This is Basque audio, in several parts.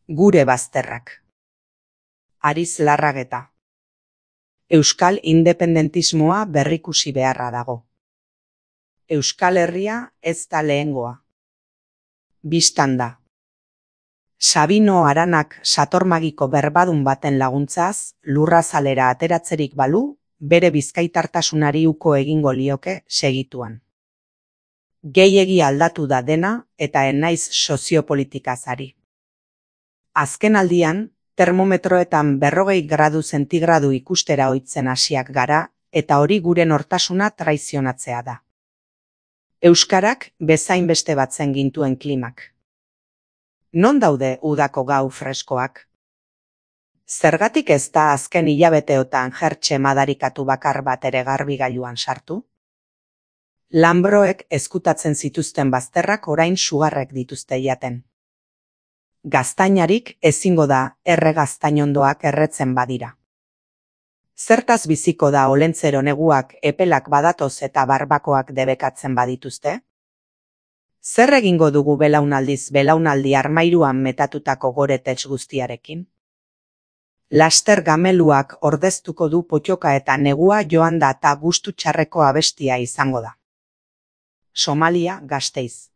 Gure bazterrak. Ariz Larrageta. Euskal independentismoa berrikusi beharra dago. Euskal Herria ez da lehengoa. Bistan da. Sabino Aranak satormagiko berbadun baten laguntzaz, lurrazalera ateratzerik balu, bere bizkaitartasunari uko egingo lioke segituan. Gehiegi aldatu da dena eta ez naiz soziopolitikaz ari. Azken aldian, termometroetan 40 gradu zentigradu ikustera ohitzen hasiak gara, eta hori gure nortasuna traizionatzea da. Euskarak bezain beste batzen gintuen klimak. Non daude udako gau freskoak? Zergatik ez da azken hilabeteotan jertxe madarikatu bakar bat ere garbigailuan sartu? Lanbroek ezkutatzen zituzten bazterrak orain sugarrek dituzte jaten. Gaztainarik ezingo da erregaztainondoak erretzen badira. Zertaz biziko da olentzero neguak epelak badatoz eta barbakoak debekatzen badituzte? Zer egingo dugu belaunaldiz belaunaldi armairuan metatutako goretets guztiarekin? Laster gameluak ordeztuko du potioka eta negua joan da eta gustu txarreko abestia izango da. Somalia, Gasteiz.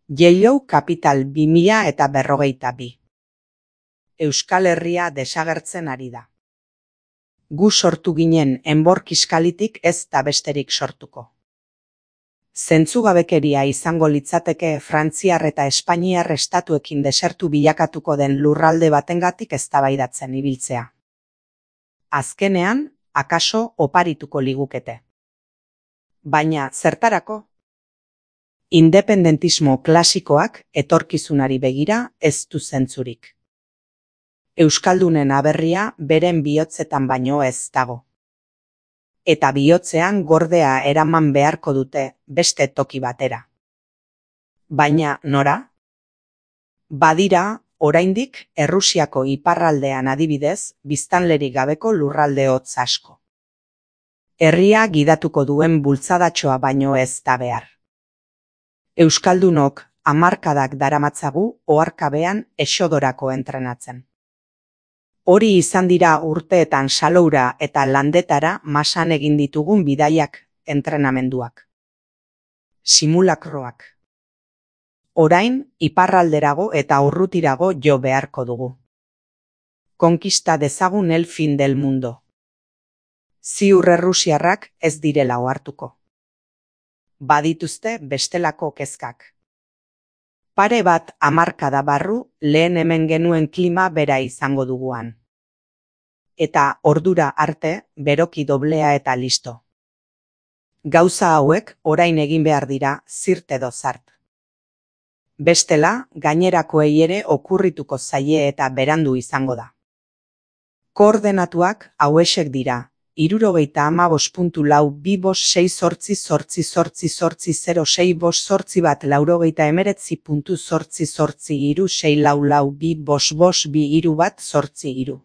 Yellow Capital 2042. Euskal Herria desagertzen ari da. Gu sortu ginen enbor kiskalitik ez da besterik sortuko. Zentzugabekeria izango litzateke Frantziar eta Espainiar estatuekin desertu bilakatuko den lurralde batengatik eztabaidatzen ibiltzea. Azkenean, akaso oparituko ligukete. Baina zertarako? Independentismo klasikoak etorkizunari begira ez du zentzurik. Euskaldunen aberria beren bihotzetan baino ez dago. Eta bihotzean gordea eraman beharko dute beste toki batera. Baina nora? Badira, oraindik Errusiako iparraldean adibidez, biztanlerik gabeko lurralde hotz asko. Herria gidatuko duen bultzadatxoa baino ez da behar. Euskaldunok hamarkadak daramatzagu oharkabean exodorako entrenatzen. Hori izan dira urteetan Saloura eta Landetara masan egin ditugun bidaiak entrenamenduak. Simulakroak. Orain, iparralderago eta urrutirago jo beharko dugu. Konkista dezagun el fin del mundo. Ziur errusiarrak ez direla ohartuko. Badituzte bestelako kezkak. Pare bat hamarkada barru lehen hemen genuen klima bera izango duguan. Eta ordura arte beroki doblea eta listo. Gauza hauek orain egin behar dira zirt edo zart. Bestela, gainerakoei ere okurrituko zaie eta berandu izango da. Koordenatuak hauexek dira. 75.25868080658 laurogeita 19.888.883.2 6 lau lau 2 bost bost 2 hiru bat 8 hiru.